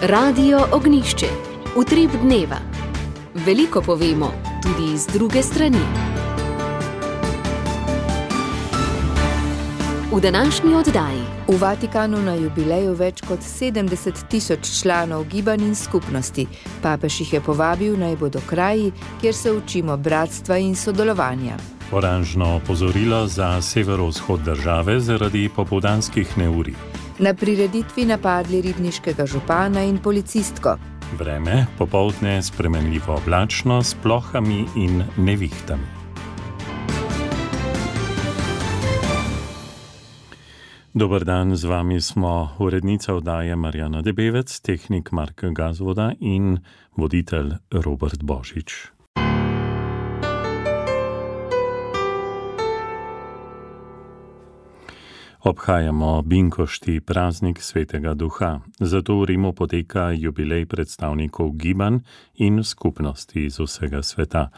Radio Ognišče, utrip dneva. Veliko povemo, tudi iz druge strani. V današnji oddaji. V Vatikanu na jubileju več kot 70.000 članov gibanj in skupnosti. Papež jih je povabil, naj bodo kraji, kjer se učimo bratstva in sodelovanja. Oranžno opozorilo za severovzhod države zaradi popoldanskih neurij. Na prireditvi napadli ribniškega župana in policistko. Vreme popoldne spremenljivo oblačno s plohami in nevihtami. Dober dan, z vami smo urednica oddaje Marjana Debevec, tehnik Mark Gazvoda in voditelj Robert Božič. Obhajamo Binkošti, praznik Svetega Duha. Zato v Rimu poteka jubilej predstavnikov gibanj in skupnosti iz vsega sveta.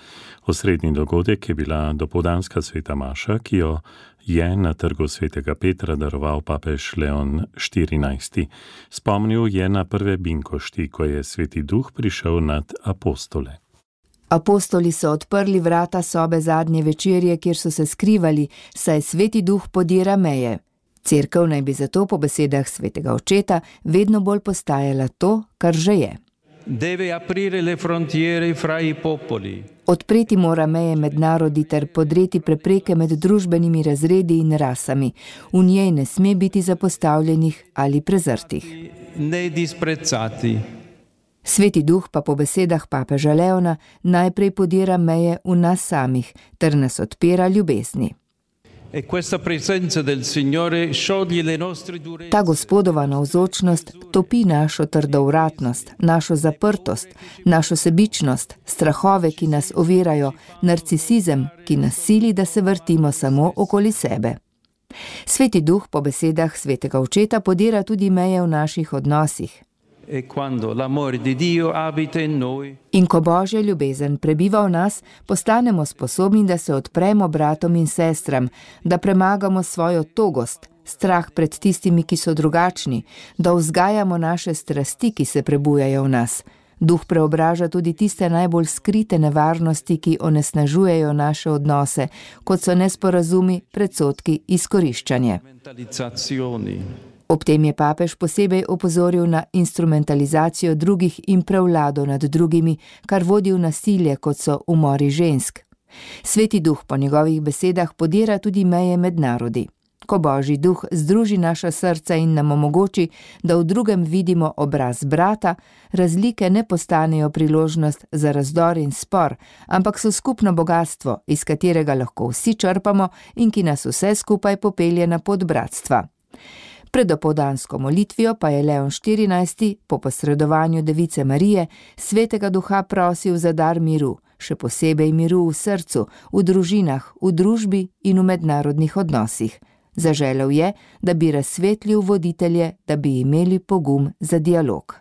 Osrednji dogodek je bila dopoldanska sveta maša, ki jo je na trgu Svetega Petra daroval papež Leon XIV. Spomnil je na prve Binkošti, ko je Sveti Duh prišel nad apostole. Apostoli so odprli vrata sobe zadnje večerje, kjer so se skrivali, saj Sveti Duh podira meje. Cerkev naj bi zato po besedah svetega očeta vedno bolj postajala to, kar že je. Odpreti mora meje med narodi ter podreti prepreke med družbenimi razredi in rasami. V njej ne sme biti zapostavljenih ali prezrtih. Sveti Duh pa po besedah papeža Leona najprej podira meje v nas samih ter nas odpira ljubezni. Ta Gospodova navzočnost topi našo trdovratnost, našo zaprtost, našo sebičnost, strahove, ki nas ovirajo, narcisizem, ki nas sili, da se vrtimo samo okoli sebe. Sveti Duh po besedah svetega očeta podira tudi meje v naših odnosih. In ko Božja ljubezen prebiva v nas, postanemo sposobni, da se odpremo bratom in sestram, da premagamo svojo togost, strah pred tistimi, ki so drugačni, da vzgajamo naše strasti, ki se prebujajo v nas. Duh preobraža tudi tiste najbolj skrite nevarnosti, ki onesnažujejo naše odnose, kot so nesporazumi, predsodki, izkoriščanje. Ob tem je papež posebej opozoril na instrumentalizacijo drugih in prevlado nad drugimi, kar vodi v nasilje, kot so umori žensk. Sveti Duh po njegovih besedah podira tudi meje med narodi. Ko Božji Duh združi naša srca in nam omogoči, da v drugem vidimo obraz brata, razlike ne postanejo priložnost za razdor in spor, ampak so skupno bogastvo, iz katerega lahko vsi črpamo in ki nas vse skupaj popelje na pot bratstva. Pred dopoldansko molitvijo pa je Leon XIV po posredovanju Device Marije Svetega Duha prosil za dar miru, še posebej miru v srcu, v družinah, v družbi in v mednarodnih odnosih. Zaželel je, da bi razsvetlil voditelje, da bi imeli pogum za dialog.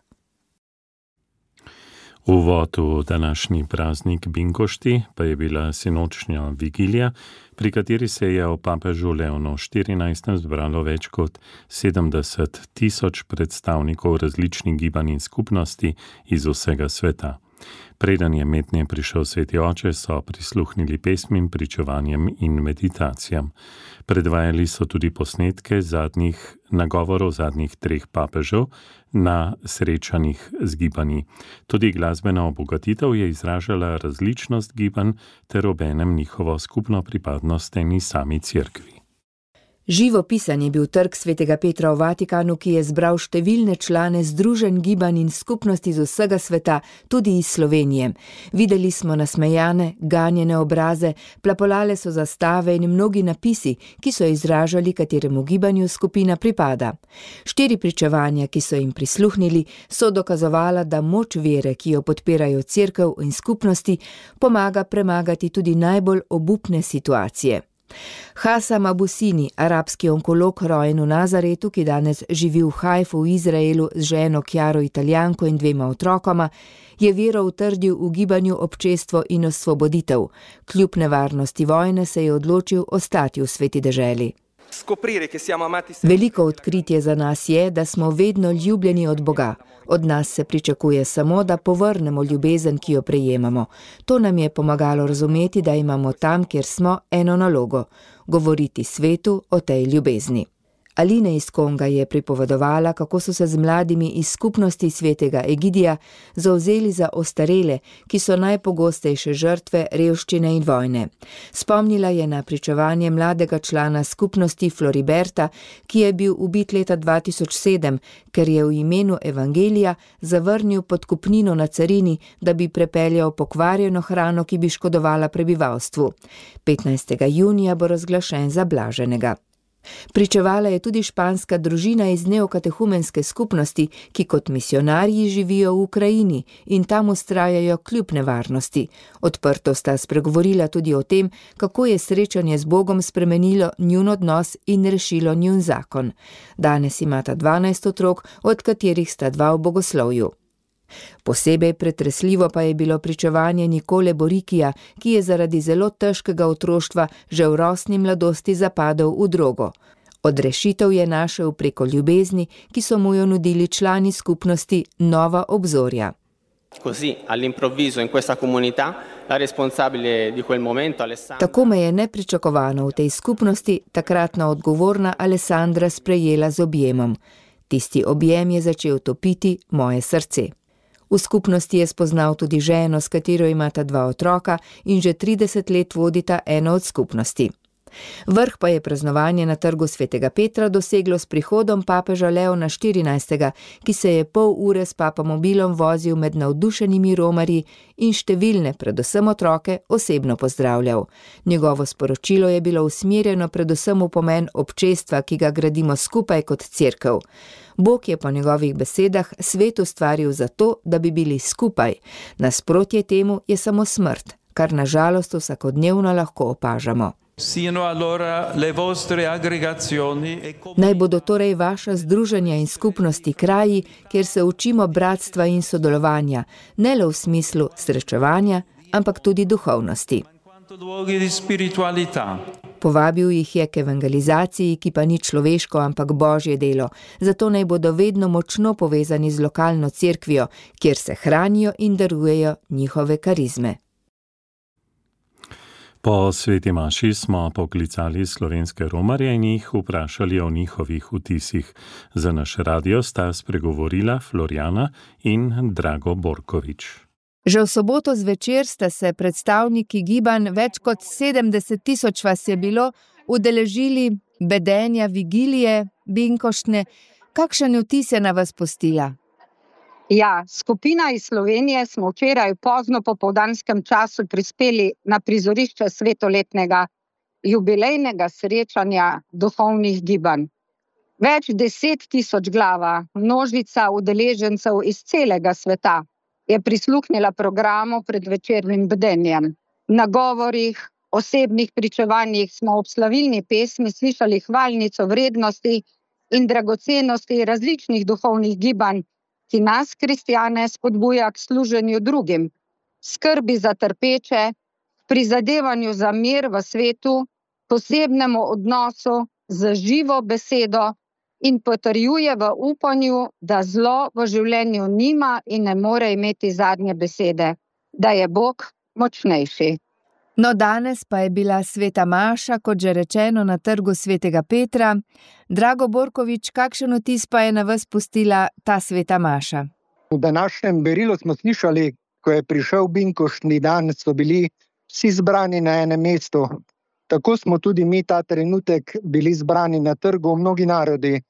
Uvod v današnji praznik Binkošti pa je bila sinočnja vigilija, pri kateri se je o papežu Leonu XIV zbralo več kot 70.000 predstavnikov različnih gibanj in skupnosti iz vsega sveta. Preden je mednje prišel Sveti Oče, so prisluhnili pesmim, pričevanjem in meditacijam. Predvajali so tudi posnetke nagovorov zadnjih 3 papežev na srečanjih z gibanji. Tudi glasbena obogatitev je izražala različnost gibanj ter obenem njihovo skupno pripadnost eni sami cerkvi. Živopisan je bil trg Svetega Petra v Vatikanu, ki je zbral številne člane združenj gibanj in skupnosti z vsega sveta, tudi iz Slovenije. Videli smo nasmejane, ganjene obraze, plapolale so zastave in mnogi napisi, ki so izražali, kateremu gibanju skupina pripada. 4 pričevanja, ki so jim prisluhnili, so dokazovala, da moč vere, ki jo podpirajo cerkev in skupnosti, pomaga premagati tudi najbolj obupne situacije. Hasam Abusini, arabski onkolog, rojen v Nazaretu, ki danes živi v Hajfu v Izraelu z ženo Kjaro Italijanko in 2 otrokoma, je vero utrdil v gibanju Občestvo in osvoboditev. Kljub nevarnosti vojne se je odločil ostati v sveti deželi. Veliko odkritje za nas je, da smo vedno ljubljeni od Boga. Od nas se pričakuje samo, da povrnemo ljubezen, ki jo prejemamo. To nam je pomagalo razumeti, da imamo tam, kjer smo, eno nalogo – govoriti svetu o tej ljubezni. Alina iz Konga je pripovedovala, kako so se z mladimi iz skupnosti svetega Egidija zavzeli za ostarele, ki so najpogostejše žrtve revščine in vojne. Spomnila je na pričevanje mladega člana skupnosti Floriberta, ki je bil ubit leta 2007, ker je v imenu evangelija zavrnil podkupnino na carini, da bi prepeljal pokvarjeno hrano, ki bi škodovala prebivalstvu. 15. junija bo razglašen za blaženega. Pričevala je tudi španska družina iz neokatehumenske skupnosti, ki kot misionarji živijo v Ukrajini in tam vztrajajo kljub nevarnosti. Odprto sta spregovorila tudi o tem, kako je srečanje z Bogom spremenilo njun odnos in rešilo njun zakon. Danes imata 12 otrok, od katerih sta 2 v bogoslovju. Posebej pretresljivo pa je bilo pričevanje Nikole Borikija, ki je zaradi zelo težkega otroštva že v rosni mladosti zapadel v drogo. Odrešitev je našel preko ljubezni, ki so mu jo nudili člani skupnosti Nova obzorja. Tako me je nepričakovano v tej skupnosti takratna odgovorna Alessandra sprejela z objemom. Tisti objem je začel topiti moje srce. V skupnosti je spoznal tudi ženo, s katero imata 2 otroka in že 30 let vodita eno od skupnosti. Vrh pa je praznovanje na trgu svetega Petra doseglo s prihodom papeža Leona XIV., ki se je pol ure s papamobilom vozil med navdušenimi romarji in številne, predvsem otroke, osebno pozdravljal. Njegovo sporočilo je bilo usmerjeno predvsem v pomen občestva, ki ga gradimo skupaj kot cerkev. Bog je po njegovih besedah svet ustvaril zato, da bi bili skupaj. Nasprotje temu je samo smrt, kar na žalost vsakodnevno lahko opažamo. Naj bodo torej vaša združenja in skupnosti kraji, kjer se učimo bratstva in sodelovanja, ne le v smislu srečevanja, ampak tudi duhovnosti. Povabil jih je k evangelizaciji, ki pa ni človeško, ampak božje delo, zato naj bodo vedno močno povezani z lokalno cerkvijo, kjer se hranijo in darujejo njihove karizme. Po sveti maši smo poklicali slovenske romarje in jih vprašali o njihovih vtisih. Za naš radio sta spregovorila Florjana in Drago Borkovič. Že v soboto zvečer sta se predstavniki gibanj, več kot 70 000 vas je bilo, udeležili bedenja vigilije binkoštne. Kakšen vtis je na vas pustila? Ja, skupina iz Slovenije smo včeraj pozno popoldanskem času prispeli na prizorišče svetoletnega jubilejnega srečanja duhovnih gibanj. Več 10 000 glava, množica udeležencev iz celega sveta je prisluhnila programu pred večernim bdenjem. Na govorih, osebnih pričevanjih smo ob slavilni pesmi slišali hvalnico vrednosti in dragocenosti različnih duhovnih gibanj, ki nas, kristjane, spodbuja k služenju drugim, skrbi za trpeče, prizadevanju za mir v svetu, posebnemu odnosu z živo besedo in potrjuje v upanju, da zlo v življenju nima in ne more imeti zadnje besede, da je Bog močnejši. No, danes pa je bila sveta maša, kot že rečeno, na trgu svetega Petra. Drago Borkovič, kakšen vtis pa je na vas pustila ta sveta maša? V današnjem berilu smo slišali, ko je prišel binkoštni dan, so bili vsi zbrani na enem mestu. Tako smo tudi mi ta trenutek bili zbrani na trgu, mnogi narodi.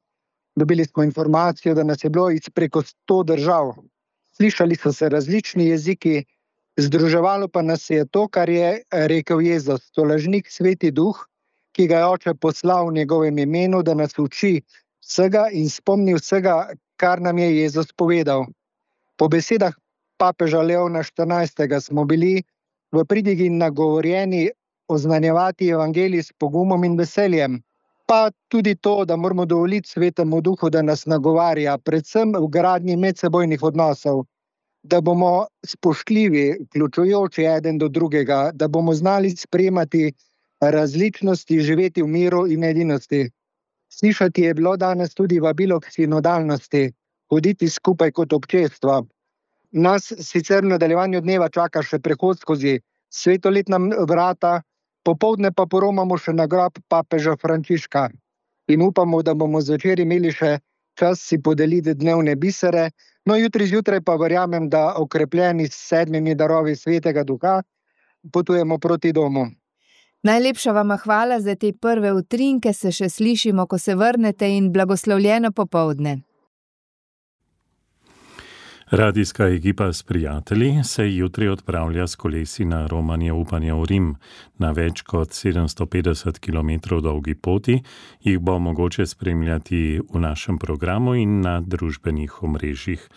Dobili smo informacijo, da nas je bilo iz preko 100 držav. Slišali so se različni jeziki, združevalo pa nas je to, kar je rekel Jezus, tolažnik Sveti Duh, ki ga je Oče poslal v njegovem imenu, da nas uči vsega in spomni vsega, kar nam je Jezus povedal. Po besedah papeža Leona XIV. Smo bili v pridigi nagovorjeni oznanjevati evangelij s pogumom in veseljem. Pa tudi to, da moramo dovoliti Svetemu Duhu, da nas nagovarja, predvsem v gradnji medsebojnih odnosov. Da bomo spoštljivi, vključujoči eden do drugega, da bomo znali sprejemati različnosti živeti v miru in edinosti. Slišati je bilo danes tudi vabilo k sinodalnosti, hoditi skupaj kot občestvo. Nas sicer v nadaljevanju dneva čaka še prehod skozi svetoletna vrata, popoldne pa poromamo še na grob papeža Frančiška. In upamo, da bomo zvečer imeli še čas si podeliti dnevne bisere, no jutri zjutraj pa verjamem, da okrepljeni s 7 darovi Svetega Duha potujemo proti domu. Najlepša vama hvala za te prve utrinke, se še slišimo, ko se vrnete, in blagoslovljeno popoldne. Radijska ekipa s prijatelji se jutri odpravlja s kolesi na romanje upanja v Rim. Na več kot 750 km dolgi poti jih bo mogoče spremljati v našem programu in na družbenih omrežjih.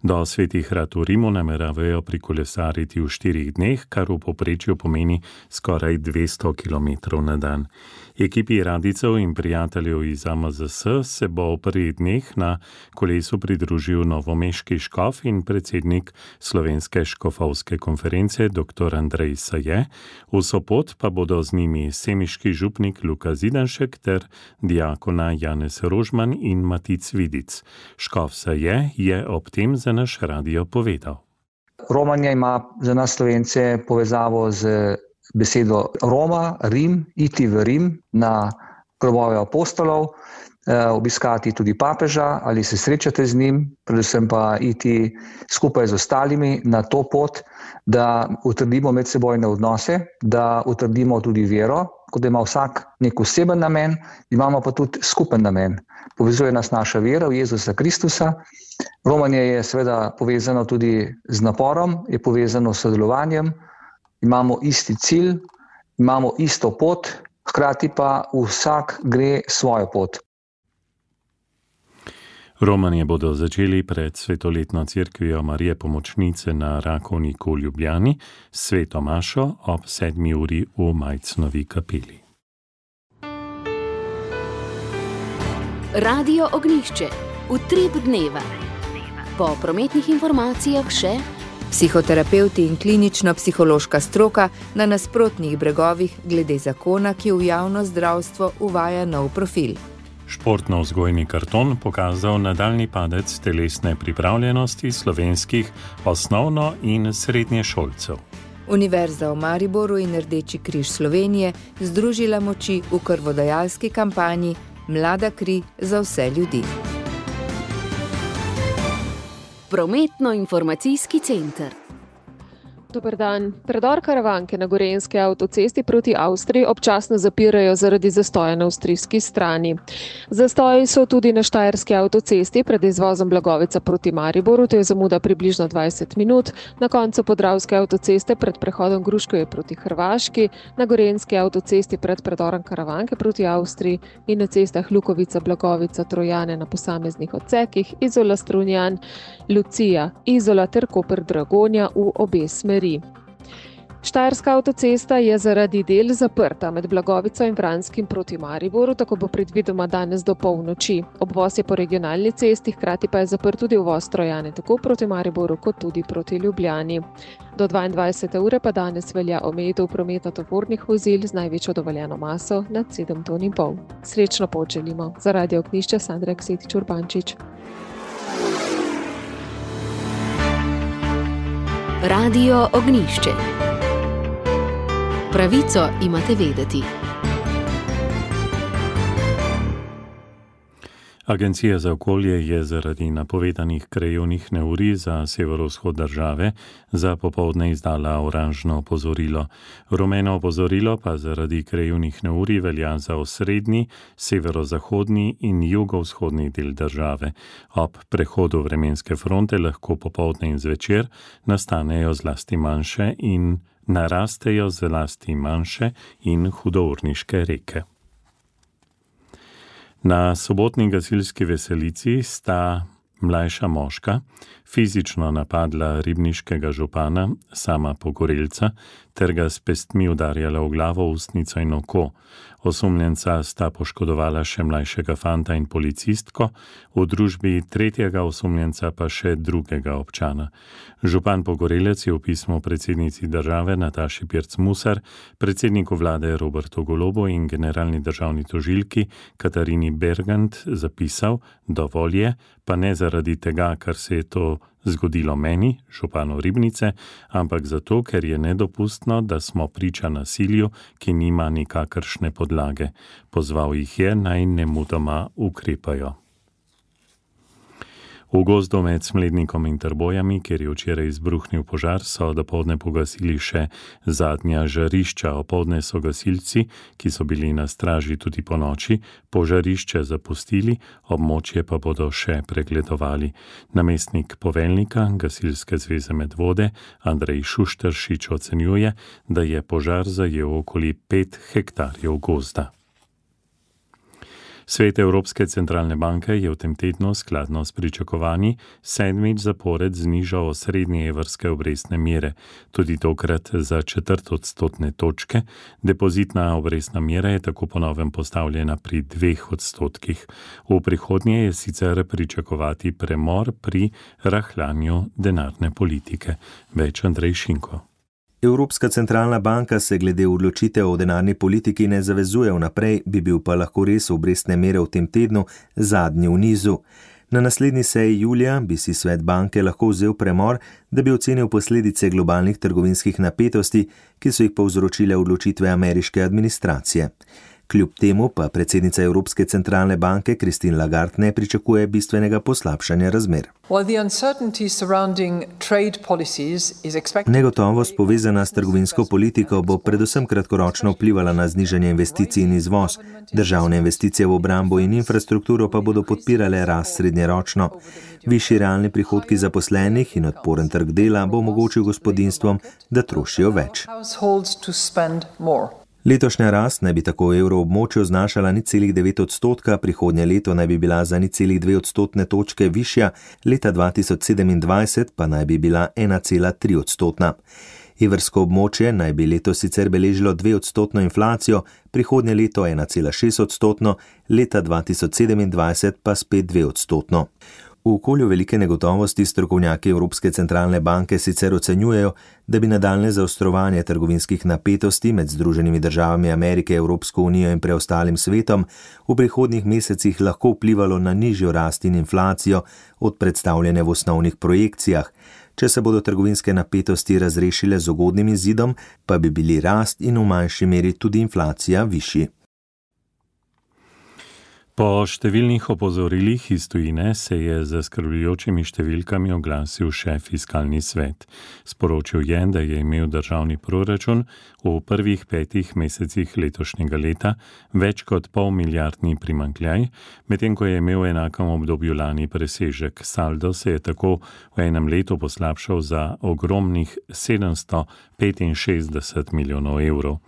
Do Svetih Rat v Rimu nameravajo prikolesariti v 4 dneh, kar v povprečju pomeni skoraj 200 km na dan. Ekipi radijcev in prijateljev iz AMZS se bo v prvih dneh na kolesu pridružil novomeški škof in predsednik Slovenske škofovske konference dr. Andrej Saje. V Sopot pa bodo z njimi semiški župnik Luka Zidanšek ter diakona Janez Rožman in Matic Vidic. Škof Saje je ob tem za naš radio povedal. Romanja ima za nas Slovence povezavo z besedo Roma, Rim, iti v Rim na grobove apostolov, obiskati tudi papeža ali se srečate z njim, predvsem pa iti skupaj z ostalimi na to pot, da utrdimo medsebojne odnose, da utrdimo tudi vero, kot da ima vsak nek oseben namen, imamo pa tudi skupen namen. Povezuje nas naša vera v Jezusa Kristusa. Romanje je seveda povezano tudi z naporom, je povezano s sodelovanjem, imamo isti cilj, imamo isto pot, hkrati pa vsak gre svojo pot. Romanje bodo začeli pred svetoletno cerkvijo Marije Pomočnice na Rakovniku v Ljubljani s sveto mašo ob 7 uri v Majcnovi kapeli. Radio Ognjišče, utrip dneva. Po prometnih informacijah še psihoterapevti in klinično-psihološka stroka na nasprotnih bregovih glede zakona, ki v javno zdravstvo uvaja nov profil. Športno-vzgojni karton pokazal nadaljni padec telesne pripravljenosti slovenskih osnovno- in srednješolcev. Univerza v Mariboru in Rdeči križ Slovenije združila moči v krvodajalski kampanji Mlada kri za vse ljudi. Prometno-informacijski center. Dober dan. Predor Karavanke na Gorenjski avtocesti proti Avstriji občasno zapirajo zaradi zastoja na avstrijski strani. Zastoji so tudi na Štajerski avtocesti pred izvozom Blagovica proti Mariboru, to je zamuda približno 20 minut, na koncu Podravske avtoceste pred prehodom Gruškovje proti Hrvaški, na Gorenjski avtocesti pred predorom Karavanke proti Avstriji in na cestah Lukovica, Blagovica, Trojane na posameznih odsekih, Izola, Strunjan, Lucija, Izola ter Koper, Dragonja v obe smeri. Štajerska avtocesta je zaradi del zaprta med Blagovico in Vranskim proti Mariboru, tako bo predvidoma danes do polnoči. Obvoz je po regionalni cesti, hkrati pa je zaprt tudi uvoz Trojane, tako proti Mariboru kot tudi proti Ljubljani. Do 22. ure pa danes velja omejitev prometa tovornih vozil z največjo dovoljeno maso nad 7,5 ton. Srečno pot želimo. Za Radio Ognjišče Sandra Ksetič Urbančič. Radio Ognjišče. Pravico imate vedeti. Agencija za okolje je zaradi napovedanih krajevnih neurij za severovzhod države za popoldne izdala oranžno opozorilo. Rumeno opozorilo pa zaradi krajevnih neurij velja za osrednji, severozahodni in jugovzhodni del države. Ob prehodu vremenske fronte lahko popoldne in zvečer nastanejo zlasti manjše in narastejo zlasti manjše in hudourniške reke. Na sobotni gasilski veselici sta mlajša moška fizično napadla ribniškega župana, sama Pogorelca, ter ga s pestmi udarjala v glavo, ustnico in oko. Osumljenca sta poškodovala še mlajšega fanta in policistko, v družbi tretjega osumljenca pa še drugega občana. Župan Pogorelec je v pismu predsednici države Nataši Pirc Musar, predsedniku vlade Robertu Golobu in generalni državni tožilki Katarini Bergant zapisal: dovolj je, pa ne zaradi tega, kar se je to zgodilo meni, županu Ribnice, ampak zato, ker je nedopustno, da smo priča nasilju, ki nima nikakršne podlage. Pozval jih je, naj nemudoma ukrepajo. V gozdu med Smlednikom in Trbojami, kjer je včeraj izbruhnil požar, so dopoldne pogasili še zadnja žarišča. Opoldne so gasilci, ki so bili na straži tudi po noči, požarišče zapustili, območje pa bodo še pregledovali. Namestnik poveljnika Gasilske zveze Medvode Andrej Šušteršič ocenjuje, da je požar zajel okoli 5 hektarjev gozda. Svet Evropske centralne banke je v tem tednu skladno s pričakovanji 7. zapored znižal osrednje evrske obrestne mere, tudi tokrat za 1/4 odstotne točke. Depozitna obrestna mera je tako po novem postavljena pri 2%. V prihodnje je sicer pričakovati premor pri rahljanju denarne politike. Več Andrej Šinko. Evropska centralna banka se glede odločitev o denarni politiki ne zavezuje vnaprej, bi bil pa lahko res obrestne mere v tem tednu zadnji v nizu. Na naslednji seji julija bi si svet banke lahko vzel premor, da bi ocenil posledice globalnih trgovinskih napetosti, ki so jih povzročile odločitve ameriške administracije. Kljub temu pa predsednica Evropske centralne banke Christine Lagarde ne pričakuje bistvenega poslabšanja razmer. Negotovost povezana s trgovinsko politiko bo predvsem kratkoročno vplivala na znižanje investicij in izvoz. Državne investicije v obrambo in infrastrukturo pa bodo podpirale rast srednjeročno. Višji realni prihodki zaposlenih in odporen trg dela bo omogočil gospodinjstvom, da trošijo več. Letošnja rast naj bi tako v evroobmočju znašala 0,9%, prihodnje leto naj bi bila za 0,2 odstotne točke višja, leta 2027 pa naj bi bila 1,3%. Evrsko območje naj bi letos sicer beležilo 2% inflacijo, prihodnje leto 1,6%, leta 2027 pa spet 2%. V okolju velike negotovosti strokovnjaki Evropske centralne banke sicer ocenjujejo, da bi nadaljnje zaostrovanje trgovinskih napetosti med Združenimi državami Amerike, Evropsko unijo in preostalim svetom v prihodnjih mesecih lahko vplivalo na nižjo rast in inflacijo od predstavljene v osnovnih projekcijah. Če se bodo trgovinske napetosti razrešile z ugodnim izidom, pa bi bili rast in v manjši meri tudi inflacija višji. Po številnih opozorilih iz tujine se je z zaskrbljujočimi številkami oglasil še fiskalni svet. Sporočil je, da je imel državni proračun v prvih 5 mesecih letošnjega leta več kot pol-milijardni primanjkljaj, medtem ko je imel v enakem obdobju lani presežek. Saldo se je tako v enem letu poslabšal za ogromnih 765 milijonov evrov.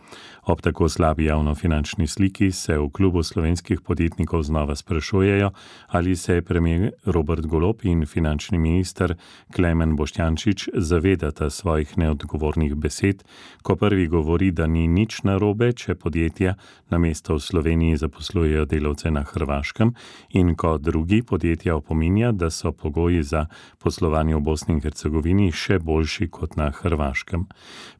Ob tako slabi javnofinančni sliki se v klubu slovenskih podjetnikov znova sprašujejo, ali se premier Robert Golob in finančni minister Klemen Boštjančič zavedata svojih neodgovornih besed, ko prvi govori, da ni nič narobe, če podjetja namesto v Sloveniji zaposlujejo delavce na Hrvaškem, in ko drugi podjetja opominja, da so pogoji za poslovanje v Bosni in Hercegovini še boljši kot na Hrvaškem.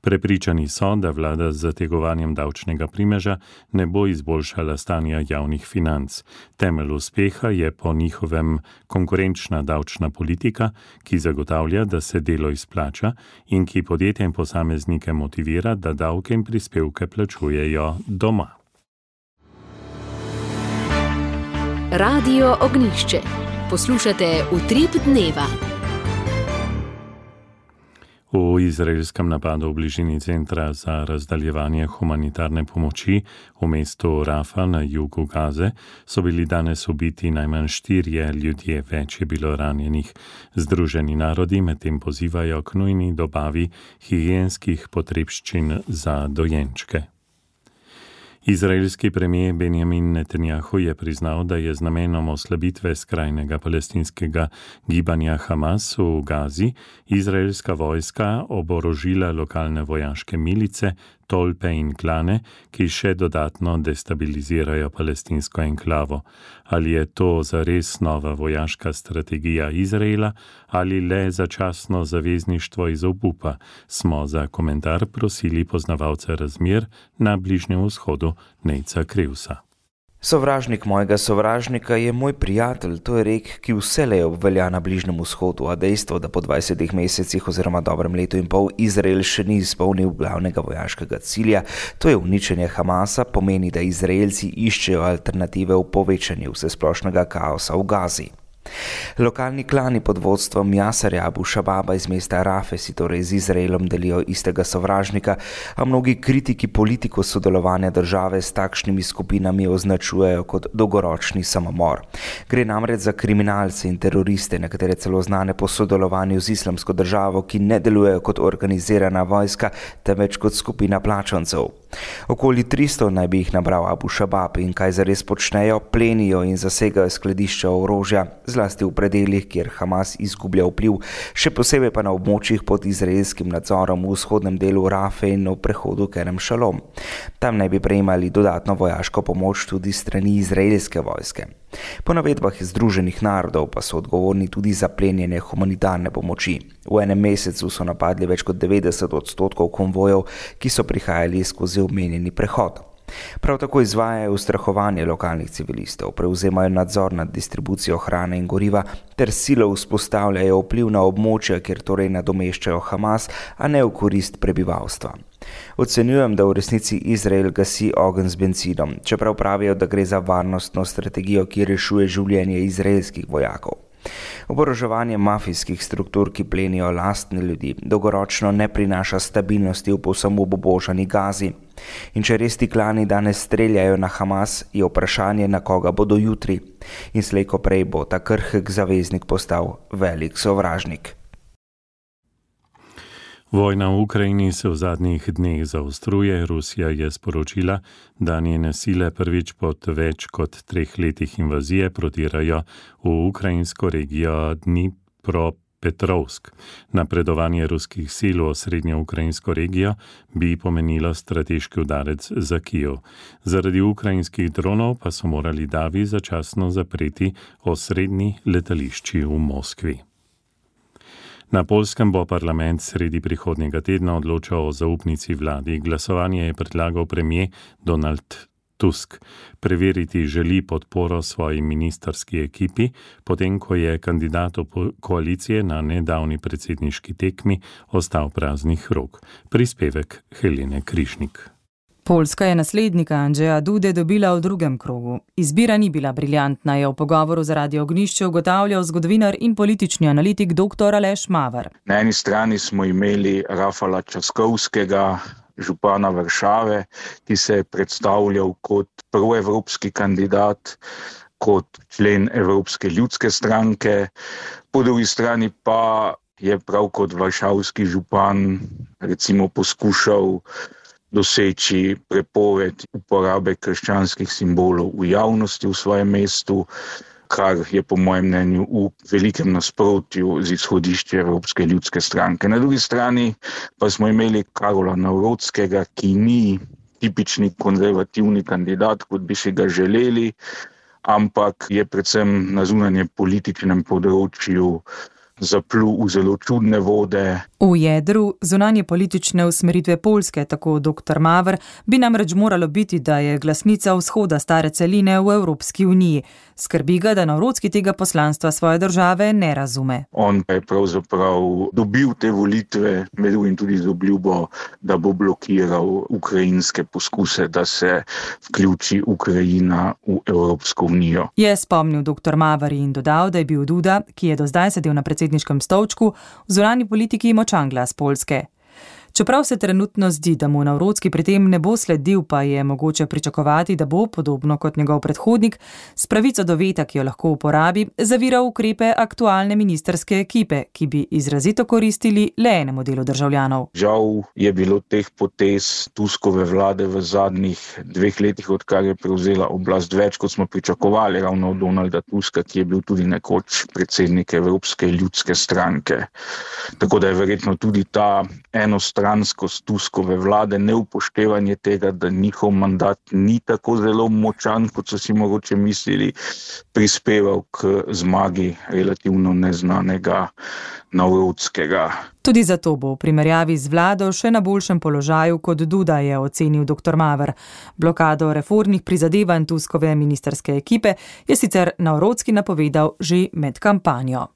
Prepričani so, da vlada z zategovanjem davčnega primeža ne bo izboljšala stanja javnih financ. Temelj uspeha je po njihovem konkurenčna davčna politika, ki zagotavlja, da se delo izplača in ki podjetja in posameznike motivira, da davke in prispevke plačujejo doma. Radio Ognjišče. Poslušate Utrip dneva. V izraelskem napadu v bližini centra za razdaljevanje humanitarne pomoči v mestu Rafa na jugu Gaze so bili danes ubiti najmanj 4 ljudje, več je bilo ranjenih. Združeni narodi medtem pozivajo k nujni dobavi higienskih potrebščin za dojenčke. Izraelski premijer Benjamin Netanjahu je priznal, da je z namenom oslabitve skrajnega palestinskega gibanja Hamas v Gazi izraelska vojska oborožila lokalne vojaške milice, tolpe in klane, ki še dodatno destabilizirajo palestinsko enklavo. Ali je to zares nova vojaška strategija Izraela ali le začasno zavezništvo iz obupa, smo za komentar prosili poznavalca razmer na Bližnjem vzhodu Nejca Krivsa. Sovražnik mojega sovražnika je moj prijatelj, to je rek, ki vselej obvelja na Bližnjem vzhodu, a dejstvo, da po 20 mesecih oziroma dobrem letu in pol Izrael še ni izpolnil glavnega vojaškega cilja, to je uničenje Hamasa, pomeni, da Izraelci iščejo alternative v povečanju vsesplošnega kaosa v Gazi. Lokalni klani pod vodstvom Jasarja Abu Šababa iz mesta Rafe si torej z Izraelom delijo istega sovražnika, a mnogi kritiki politiko sodelovanja države s takšnimi skupinami označujejo kot dolgoročni samomor. Gre namreč za kriminalce in teroriste, nekatere celo znane po sodelovanju z islamsko državo, ki ne delujejo kot organizirana vojska, temveč kot skupina plačancev. Okoli 300 naj bi jih nabral Abu Šabab in kaj zares počnejo, plenijo in zasegajo skladišča orožja, zlasti v predeljih, kjer Hamas izgublja vpliv, še posebej pa na območjih pod izraelskim nadzorom v vzhodnem delu Rafe in v prehodu Kerem Šalom. Tam naj bi prejemali dodatno vojaško pomoč tudi strani izraelske vojske. Po navedbah Združenih narodov pa so odgovorni tudi za plenjenje humanitarne pomoči. V enem mesecu so napadli več kot 90% konvojev, ki so prihajali skozi omenjeni prehod. Prav tako izvajajo ustrahovanje lokalnih civilistov, prevzemajo nadzor nad distribucijo hrane in goriva ter silo vzpostavljajo vpliv na območja, kjer torej nadomeščajo Hamas, a ne v korist prebivalstva. Ocenjujem, da v resnici Izrael gasi ogenj z bencinom, čeprav pravijo, da gre za varnostno strategijo, ki rešuje življenje izraelskih vojakov. Oboroževanje mafijskih struktur, ki plenijo lastne ljudi, dolgoročno ne prinaša stabilnosti v povsem obubožani Gazi. In če res ti klani danes streljajo na Hamas, je vprašanje, na koga bodo jutri. In slej ko prej bo ta krhek zaveznik postal velik sovražnik. Vojna v Ukrajini se v zadnjih dneh zaostruje. Rusija je sporočila, da njene sile prvič po več kot 3 letih invazije protirajo v ukrajinsko regijo Dnipropetrovsk. Napredovanje ruskih sil v osrednjo ukrajinsko regijo bi pomenilo strateški udarec za Kijev. Zaradi ukrajinskih dronov pa so morali davi začasno zapreti osrednji letališči v Moskvi. Na Poljskem bo parlament sredi prihodnjega tedna odločal o zaupnici vladi. Glasovanje je predlagal premier Donald Tusk. Preveriti želi podporo svoji ministrski ekipi, potem ko je kandidat koalicije na nedavni predsedniški tekmi ostal praznih rok. Prispevek Helene Krišnik. Poljska je naslednika Andrzeja Dude dobila v drugem krogu. Izbira ni bila briljantna, je v pogovoru za Radio Ognjišče ugotavljal zgodovinar in politični analitik dr. Aleš Maver. Na eni strani smo imeli Rafala Časkovskega, župana Varšave, ki se je predstavljal kot proevropski kandidat, kot člen Evropske ljudske stranke. Po drugi strani pa je prav kot varšavski župan recimo poskušal doseči prepoved uporabe krščanskih simbolov v javnosti v svojem mestu, kar je po mojem mnenju v velikem nasprotju z izhodišči Evropske ljudske stranke. Na drugi strani pa smo imeli Karola Nawrotskega, ki ni tipični konzervativni kandidat, kot bi si ga želeli, ampak je predvsem na zunanje političnem področju zaplul v zelo čudne vode. V jedru zunanje politične usmeritve Poljske, tako dr. Maver, bi namreč moralo biti, da je glasnica vzhoda stare celine v Evropski uniji. Skrbi ga, da Nawrotski tega poslanstva svoje države ne razume. On pa je pravzaprav dobil te volitve, med drugim tudi z obljubo, da bo blokiral ukrajinske poskuse, da se vključi Ukrajina v Evropsko unijo. Je spomnil dr. Maver in dodal, da je bil Duda, ki je do zdaj sedel na predsedniškem stolčku, v zunanji politiki močan glas Poljske. Čeprav se trenutno zdi, da mu Navrocki pri tem ne bo sledil, pa je mogoče pričakovati, da bo, podobno kot njegov predhodnik, s pravico do veta, ki jo lahko uporabi, zaviral ukrepe aktualne ministrske ekipe, ki bi izrazito koristili le enemu delu državljanov. Žal je bilo teh potez Tuskove vlade v zadnjih 2 letih, odkar je prevzela oblast, več, kot smo pričakovali ravno od Donalda Tuska, ki je bil tudi nekoč predsednik Evropske ljudske stranke. Tako da je verjetno tudi ta enostranskost Tuskove vlade, neupoštevanje tega, da njihov mandat ni tako zelo močan, kot so si mogoče mislili, prispeval k zmagi relativno neznanega Navrockega. Tudi zato bo v primerjavi z vlado še na boljšem položaju kot Duda, je ocenil dr. Maver. Blokado reformnih prizadevanj Tuskove ministrske ekipe je sicer Navrocký napovedal že med kampanjo.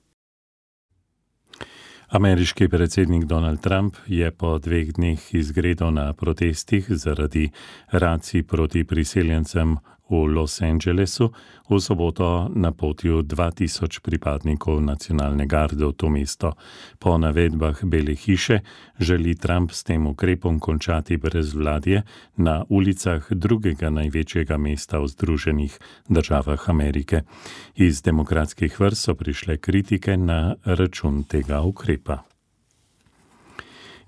Ameriški predsednik Donald Trump je po 2 dneh izgredal na protestih zaradi racij proti priseljencem v Los Angelesu v soboto napotil 2000 pripadnikov nacionalne garde v to mesto. Po navedbah Bele hiše želi Trump s tem ukrepom končati brezvladje na ulicah drugega največjega mesta v Združenih državah Amerike. Iz demokratskih vrst so prišle kritike na račun tega ukrepa.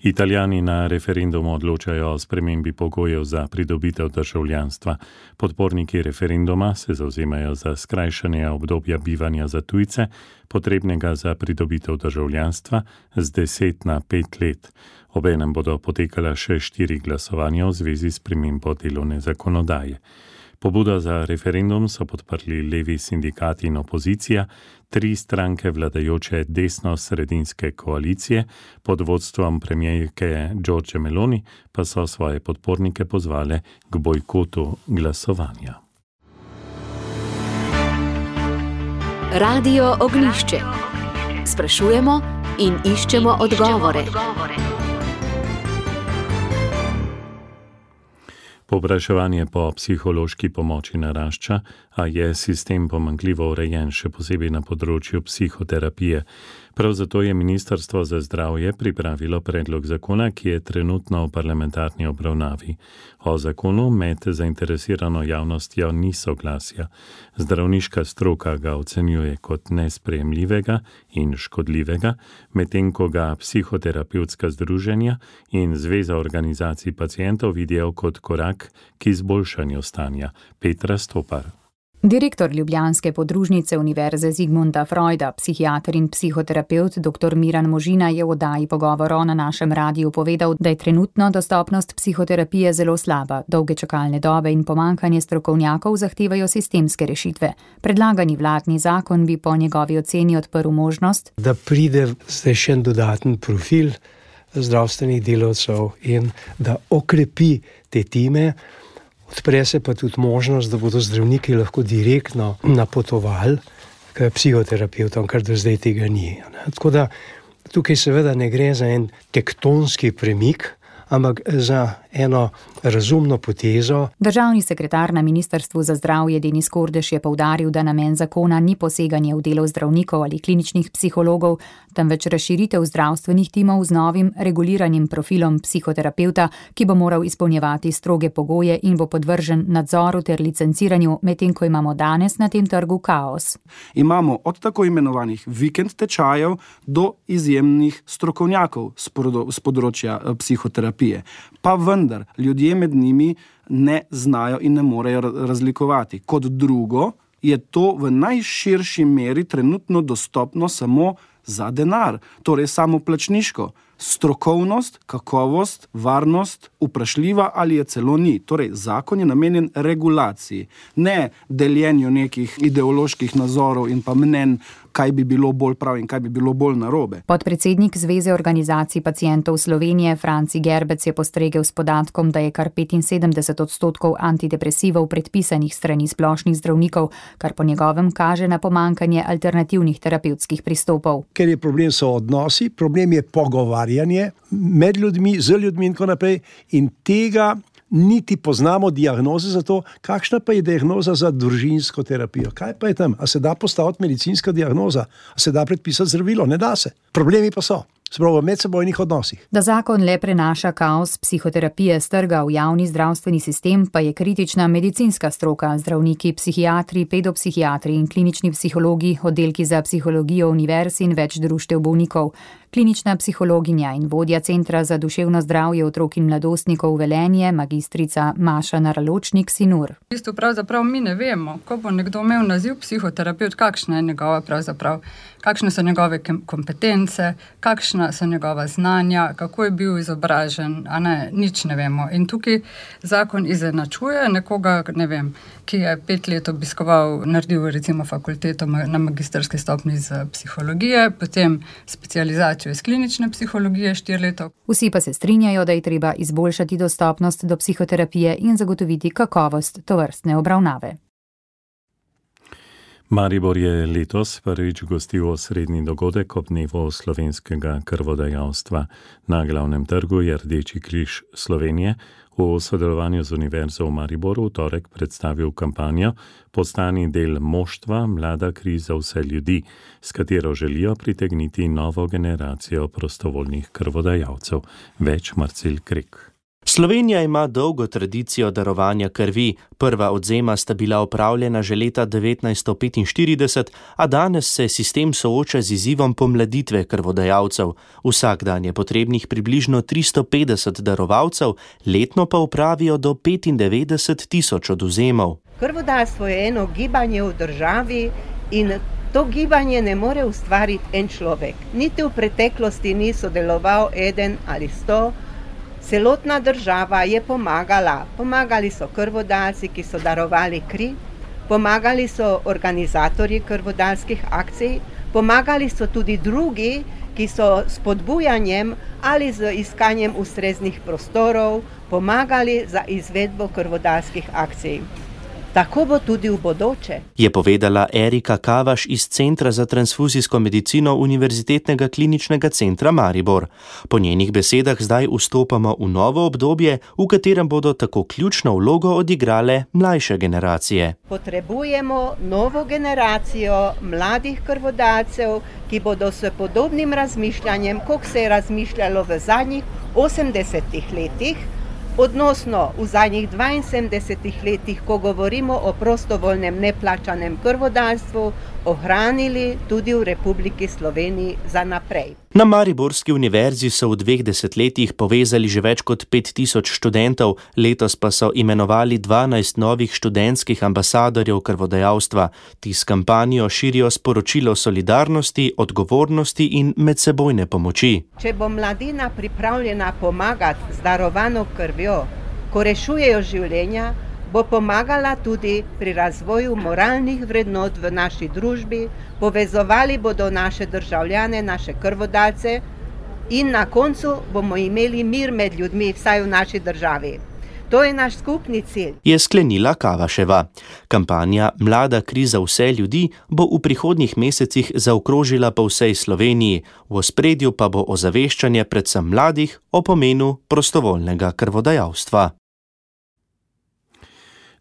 Italijani na referendumu odločajo o spremembi pogojev za pridobitev državljanstva. Podporniki referenduma se zavzemajo za skrajšanje obdobja bivanja za tujce, potrebnega za pridobitev državljanstva z 10 na 5 let. Obenem bodo potekala še 4 glasovanja v zvezi s spremembo delovne zakonodaje. Pobudo za referendum so podprli levi sindikati in opozicija, 3 stranke vladajoče desno-sredinske koalicije pod vodstvom premijerke Giorgie Meloni pa so svoje podpornike pozvale k bojkotu glasovanja. Radio Ognjišče. Sprašujemo in iščemo odgovore. Povpraševanje po psihološki pomoči narašča, a je sistem pomanjkljivo urejen, še posebej na področju psihoterapije. Prav zato je Ministrstvo za zdravje pripravilo predlog zakona, ki je trenutno v parlamentarni obravnavi. O zakonu med zainteresirano javnostjo ni soglasja. Zdravniška stroka ga ocenjuje kot nesprejemljivega in škodljivega, medtem ko ga psihoterapevtska združenja in Zveza organizacij pacientov vidijo kot korak k izboljšanju stanja. Petra Stopar. Direktor ljubljanske podružnice Univerze Zigmunda Freuda, psihiater in psihoterapevt dr. Miran Možina je v oddaji Pogovorov na našem radiju povedal, da je trenutno dostopnost psihoterapije zelo slaba, dolge čakalne dobe in pomanjkanje strokovnjakov zahtevajo sistemske rešitve. Predlagani vladni zakon bi po njegovi oceni odprl možnost, da pride zdaj še dodaten profil zdravstvenih delavcev in da okrepi te time. Odpre se pa tudi možnost, da bodo zdravniki lahko direktno napotovali k psihoterapevtom, kar do zdaj tega ni. Tako da tukaj seveda ne gre za en tektonski premik, ampak za eno razumno potezo. Državni sekretar na Ministrstvu za zdravje Denis Kordež je poudaril, da namen zakona ni poseganje v delo zdravnikov ali kliničnih psihologov, temveč razširitev zdravstvenih timov z novim reguliranim profilom psihoterapevta, ki bo moral izpolnjevati stroge pogoje in bo podvržen nadzoru ter licenciranju, medtem ko imamo danes na tem trgu kaos. Imamo od tako imenovanih vikend tečajev do izjemnih strokovnjakov z področja psihoterapije. Pa vendar, ljudje med njimi ne znajo in ne morejo razlikovati. Kot drugo, je to v najširši meri trenutno dostopno samo za denar, torej samoplačniško. Strokovnost, kakovost, varnost, vprašljiva ali je celo ni. Torej, zakon je namenjen regulaciji, ne deljenju nekih ideoloških nazorov in pa mnenj, kaj bi bilo bolj prav in kaj bi bilo bolj narobe. Podpredsednik Zveze organizacij pacientov Slovenije Franci Gerbec je postregel s podatkom, da je kar 75% antidepresivov predpisanih strani splošnih zdravnikov, kar po njegovem kaže na pomanjkanje alternativnih terapevtskih pristopov. Ker je problem so odnosi, problem je pogovarjanje med ljudmi, z ljudmi in tako naprej, in tega niti poznamo diagnoze za to, kakšna pa je diagnoza za družinsko terapijo. Kaj pa je tam? A se da postaviti medicinska diagnoza? A se da predpisati zdravilo? Ne da se. Problemi pa so. spravo v medsebojnih odnosih. Da zakon le prenaša kaos psihoterapije s trga v javni zdravstveni sistem, pa je kritična medicinska stroka, zdravniki, psihiatri, pedopsihiatri in klinični psihologi, oddelki za psihologijo univerz in več društev bolnikov. Klinična psihologinja in vodja Centra za duševno zdravje otrok in mladostnikov Velenje, magistrica Maša Naraločnik-Sinur. V bistvu pravzaprav mi ne vemo, ko bo nekdo imel naziv psihoterapeut, kakšna je njegova pravzaprav, kakšne so njegove kompetence, kakšna so njegova znanja, kako je bil izobražen, a ne, nič ne vemo. In tukaj zakon izenačuje nekoga, ne vem, ki je 5 let obiskoval, naredil recimo fakulteto na magistrski stopnji iz psihologije, potem specializacijo iz klinične psihologije 4 leta. Vsi pa se strinjajo, da je treba izboljšati dostopnost do psihoterapije in zagotoviti kakovost tovrstne obravnave. Maribor je letos prvič gostil osrednji dogodek ob dnevu slovenskega krvodajalstva. Na glavnem trgu je Rdeči križ Slovenije v sodelovanju z Univerzo v Mariboru v torek predstavil kampanjo Postani del moštva, mlada kri za vse ljudi, s katero želijo pritegniti novo generacijo prostovoljnih krvodajalcev. Več Marcel Krek. Slovenija ima dolgo tradicijo darovanja krvi. Prva odvzema sta bila opravljena že leta 1945, a danes se sistem sooča z izzivom pomladitve krvodajalcev. Vsak dan je potrebnih približno 350 darovalcev, letno pa opravijo do 95.000 odvzemov. Krvodajalstvo je eno gibanje v državi in to gibanje ne more ustvariti en človek. Niti v preteklosti ni sodeloval 1 ali 100. Celotna država je pomagala. Pomagali so krvodajalci, ki so darovali kri, pomagali so organizatorji krvodajalskih akcij, pomagali so tudi drugi, ki so s spodbujanjem ali z iskanjem ustreznih prostorov pomagali za izvedbo krvodajalskih akcij. Tako bo tudi v bodoče. Je povedala Erika Kavaš iz Centra za transfuzijsko medicino Univerzitetnega kliničnega centra Maribor. Po njenih besedah zdaj vstopamo v novo obdobje, v katerem bodo tako ključno vlogo odigrale mlajše generacije. Potrebujemo novo generacijo mladih krvodajalcev, ki bodo s podobnim razmišljanjem, kot se je razmišljalo v zadnjih 80 letih, odnosno v zadnjih 72 letih, ko govorimo o prostovoljnem neplačanem krvodajalstvu, ohranili tudi v Republiki Sloveniji za naprej. Na Mariborski univerzi so v 2 desetletjih povezali že več kot 5000 študentov, letos pa so imenovali 12 novih študentskih ambasadorjev krvodajalstva. Ti s kampanjo širijo sporočilo solidarnosti, odgovornosti in medsebojne pomoči. Če bo mladina pripravljena pomagati z darovano krvjo, ko rešujejo življenja, bo pomagala tudi pri razvoju moralnih vrednot v naši družbi, povezovali bodo naše državljane, naše krvodajalce in na koncu bomo imeli mir med ljudmi, vsaj v naši državi. To je naš skupni cilj. Je sklenila Kavaševa. Kampanja Mlada kri za vse ljudi bo v prihodnjih mesecih zaokrožila po vsej Sloveniji, v ospredju pa bo ozaveščanje predvsem mladih o pomenu prostovoljnega krvodajalstva.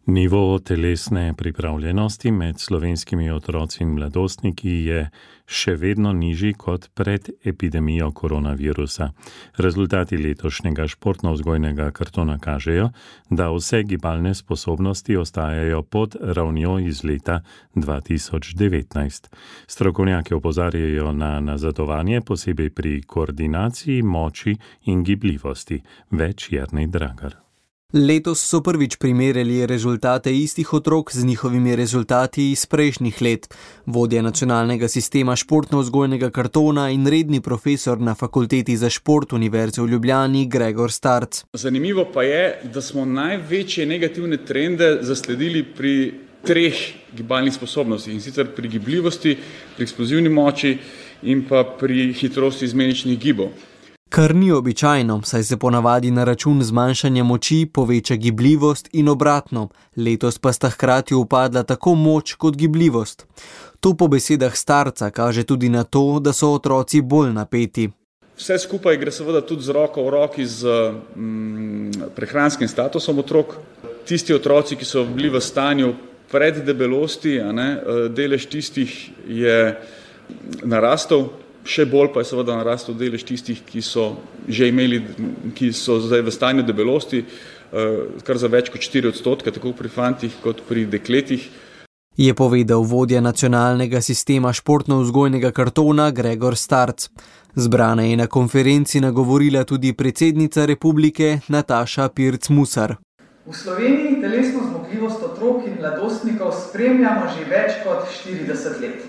Nivo telesne pripravljenosti med slovenskimi otroci in mladostniki je še vedno nižji kot pred epidemijo koronavirusa. Rezultati letošnjega športno-vzgojnega kartona kažejo, da vse gibalne sposobnosti ostajajo pod ravnjo iz leta 2019. Strokovnjaki opozarjajo na nazadovanje, posebej pri koordinaciji, moči in gibljivosti. Več Jernej Dragar. Letos so prvič primerjali rezultate istih otrok z njihovimi rezultati iz prejšnjih let. Vodja nacionalnega sistema športno-vzgojnega kartona in redni profesor na Fakulteti za šport Univerze v Ljubljani Gregor Starc. Zanimivo pa je, da smo največje negativne trende zasledili pri 3 gibalnih sposobnostih, in sicer pri gibljivosti, pri eksplozivni moči in pa pri hitrosti izmeničnih gibov. Kar ni običajno, saj se ponavadi na račun zmanjšanja moči poveča gibljivost in obratno. Letos pa sta hkrati upadla tako moč kot gibljivost. To po besedah Starca kaže tudi na to, da so otroci bolj napeti. Vse skupaj gre seveda tudi z roko v roki z prehranskim statusom otrok. Tisti otroci, ki so bili v stanju preddebelosti, delež tistih je narastel. Še bolj pa je seveda narastel delež tistih, ki so zdaj v stanju debelosti, kar za več kot 4%, tako pri fantih kot pri dekletih. Je povedal vodja nacionalnega sistema športno-vzgojnega kartona Gregor Starc. Zbrana je na konferenci nagovorila tudi predsednica republike Nataša Pirc-Musar. V Sloveniji telesno zmogljivost otrok in mladostnikov spremljamo že več kot 40 let.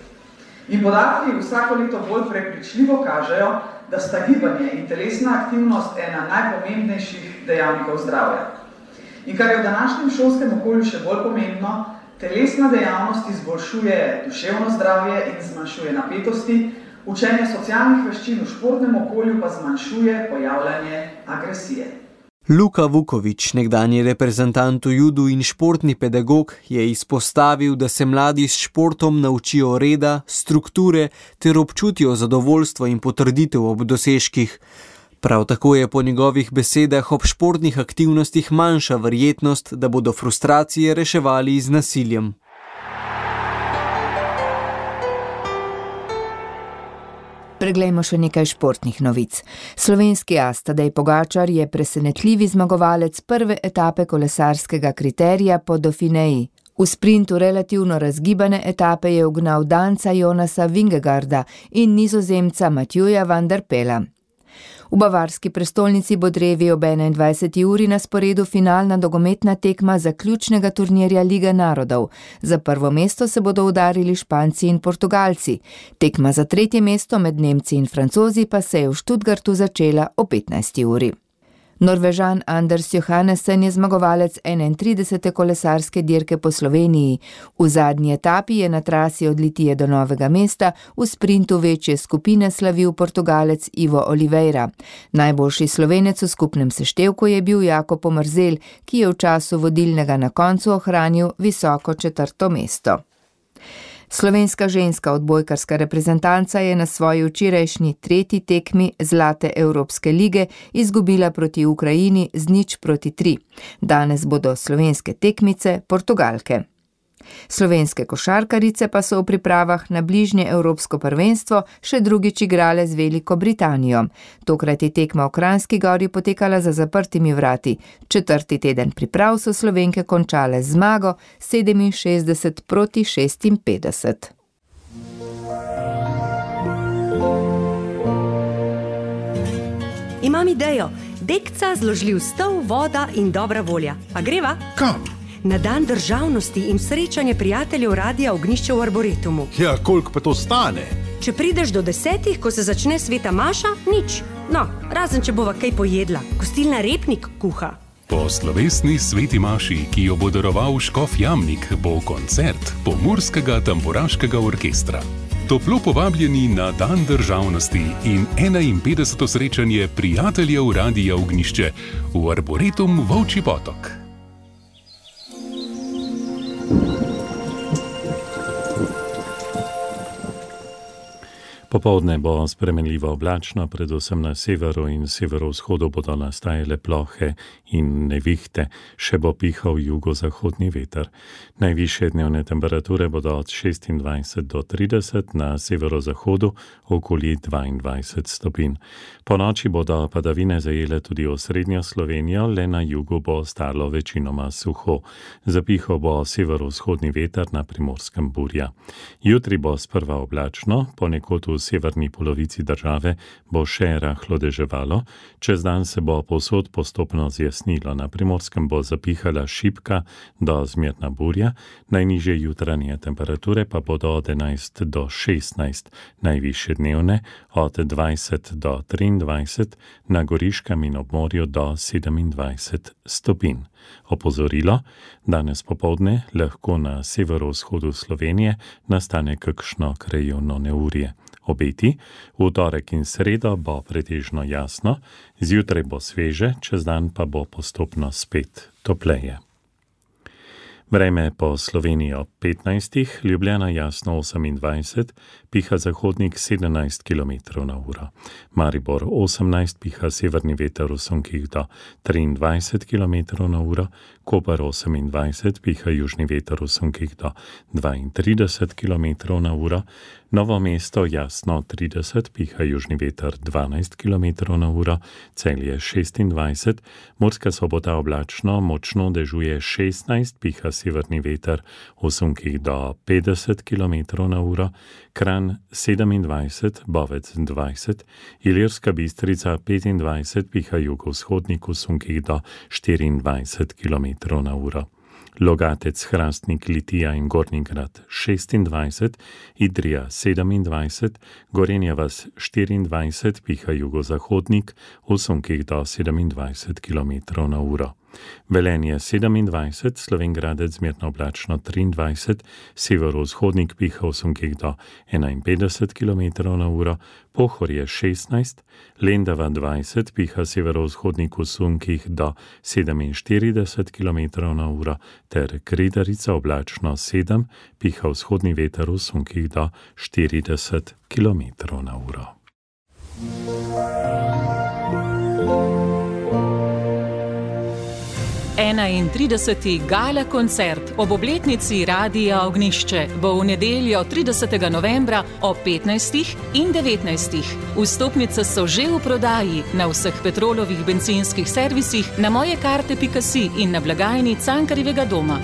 In podatki vsako leto bolj prepričljivo kažejo, da sta gibanje in telesna aktivnost ena najpomembnejših dejavnikov zdravja. In kar je v današnjem šolskem okolju še bolj pomembno, telesna dejavnost izboljšuje duševno zdravje in zmanjšuje napetosti, učenje socialnih veščin v športnem okolju pa zmanjšuje pojavljanje agresije. Luka Vuković, nekdanji reprezentant v judu in športni pedagog, je izpostavil, da se mladi s športom naučijo reda, strukture ter občutijo zadovoljstvo in potrditev ob dosežkih. Prav tako je po njegovih besedah ob športnih aktivnostih manjša verjetnost, da bodo frustracije reševali z nasiljem. Preglejmo še nekaj športnih novic. Slovenski as Tadej Pogačar je presenetljivi zmagovalec prve etape kolesarskega kriterija po Dauphineji. V sprintu relativno razgibane etape je ugnal Danca Jonasa Vingegaarda in Nizozemca Matjuja van der Pela. V bavarski prestolnici bo drevi ob 21. uri na sporedu finalna nogometna tekma zaključnega turnirja Lige narodov. Za prvo mesto se bodo udarili Španci in Portugalci. Tekma za tretje mesto med Nemci in Francozi pa se je v Stuttgartu začela o 15. uri. Norvežan Anders Johannesen je zmagovalec 31. kolesarske dirke po Sloveniji. V zadnji etapi je na trasi od Litije do Novega mesta v sprintu večje skupine slavil Portugalec Ivo Oliveira. Najboljši Slovenec v skupnem seštevku je bil Jakob Omerzel, ki je v času vodilnega na koncu ohranil visoko 4. mesto. Slovenska ženska odbojkarska reprezentanca je na svoji včerajšnji 3. tekmi Zlate Evropske lige izgubila proti Ukrajini z 0-3. Danes bodo slovenske tekmice Portugalke. Slovenske košarkarice pa so v pripravah na bližnje Evropsko prvenstvo še drugič igrale z Veliko Britanijo. Tokrat je tekma v Kranjski Gori potekala za zaprtimi vrati. 4. teden priprav so Slovenke končale z zmago 67-56. Imam idejo. Dekca, zložljiv stol, voda in dobra volja. Pa greva? Kam? Na dan državnosti in srečanje prijateljev Radia Ognjišče v Arboretumu. Ja, koliko pa to stane? Če prideš do 10, ko se začne sveta maša, nič. No, razen če bova kaj pojedla. Gostilna Repnik kuha. Po slovesni sveti maši, ki jo bo daroval škof Jamnik, bo koncert Pomurskega tamburaškega orkestra. Toplo povabljeni na dan državnosti in 51. srečanje prijateljev Radia Ognjišče v Arboretum Volčji Potok. Popoldne bo spremenljivo oblačno, predvsem na severu in severovzhodu bodo nastajale plohe in nevihte, še bo pihal jugozahodni veter. Najvišje dnevne temperature bodo od 26 do 30, na severozahodu okoli 22 stopinj. Po noči bodo padavine zajele tudi osrednjo Slovenijo, le na jugu bo ostalo večinoma suho. Zapihal bo severovzhodni veter, na Primorskem burja. Jutri bo sprva oblačno, ponekod v severni polovici države bo še rahlo deževalo, čez dan se bo povsod postopno zjasnilo. Na Primorskem bo zapihala šibka do zmerna burja, najnižje jutranje temperature pa bodo od 11 do 16, najvišje dnevne od 20 do 23, na Goriškem in ob morju do 27 stopinj. Opozorilo, danes popoldne lahko na severovzhodu Slovenije nastane kakšno krajevno neurje. Obeti, v torek in sredo bo pretežno jasno, zjutraj bo sveže, čez dan pa bo postopno spet topleje. Vreme po Sloveniji ob 15, Ljubljana jasno 28, piha zahodnik 17 km/h. Maribor 18, piha severni veter v sunkih do 23 km/h, Koper 28, piha južni veter v sunkih do 32 km/h, Novo mesto jasno 30, piha južni veter 12 km/h, Celje 26, Murska Sobota oblačno, močno dežuje 16, piha severni veter v sunkih do 50 km/h, Kranj 27, Bovec 20, Ilirska Bistrica 25, piha jugovzhodnik v sunkih do 24 km/h. Logatec, Hrastnik, Litija in Gornji Grad 26, Idrija 27, Gorenja vas 24, piha jugozahodnik v sunkih do 27 km/h. Velenje 27, Slovenj Gradec zmerno oblačno 23, severovzhodnik piha v sunkih do 51 km/h, Pohorje 16, Lendava 20, piha severovzhodnik v sunkih do 47 km/h, ter Kredarica oblačno 7, piha vzhodni veter v sunkih do 40 km/h. Trideseti gala koncert ob obletnici Radia Ognjišče bo v nedeljo 30. novembra ob 15. in 19. Vstopnice so že v prodaji na vseh Petrolovih bencinskih servisih, na mojekarte.si in na blagajni Cankarjevega doma.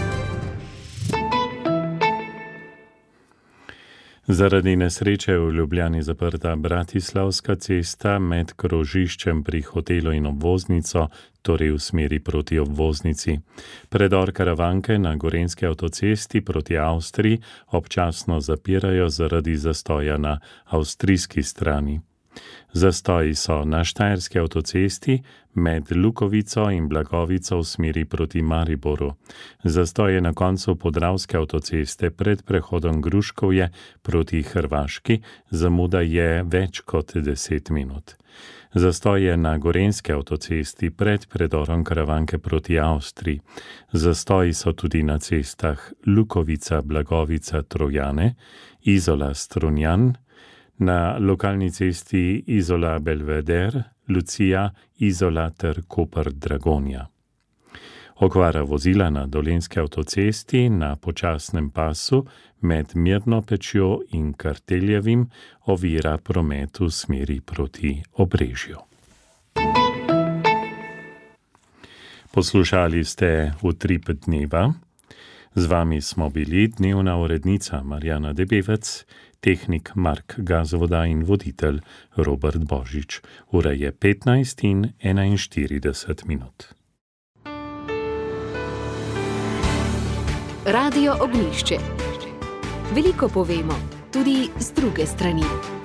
Zaradi nesreče v Ljubljani zaprta Bratislavska cesta med krožiščem pri hotelu in obvoznico, torej v smeri proti obvoznici. Predor Karavanke na Gorenjski avtocesti proti Avstriji občasno zapirajo zaradi zastoja na avstrijski strani. Zastoji so na Štajerski avtocesti med Lukovico in Blagovico v smeri proti Mariboru. Zastoj je na koncu Podravske avtoceste pred prehodom Gruškovje proti Hrvaški, zamuda je več kot 10 minut. Zastoj je na Gorenjski avtocesti pred predorom Karavanke proti Avstriji. Zastoji so tudi na cestah Lukovica, Blagovica, Trojane, Izola, Strunjan, na lokalni cesti Izola Belveder, Lucija, Izola ter Koper Dragonja. Okvara vozila na Dolenjski avtocesti na počasnem pasu med Mirno Pečjo in Karteljevim ovira promet v smeri proti Obrežju. Poslušali ste Utrip dneva. Z vami smo bili dnevna urednica Marjana Debevec, tehnik Mark Gazvoda in voditelj Robert Božič. Ura je 15 in 41 minut. Radio Ognjišče. Veliko povemo, tudi z druge strani.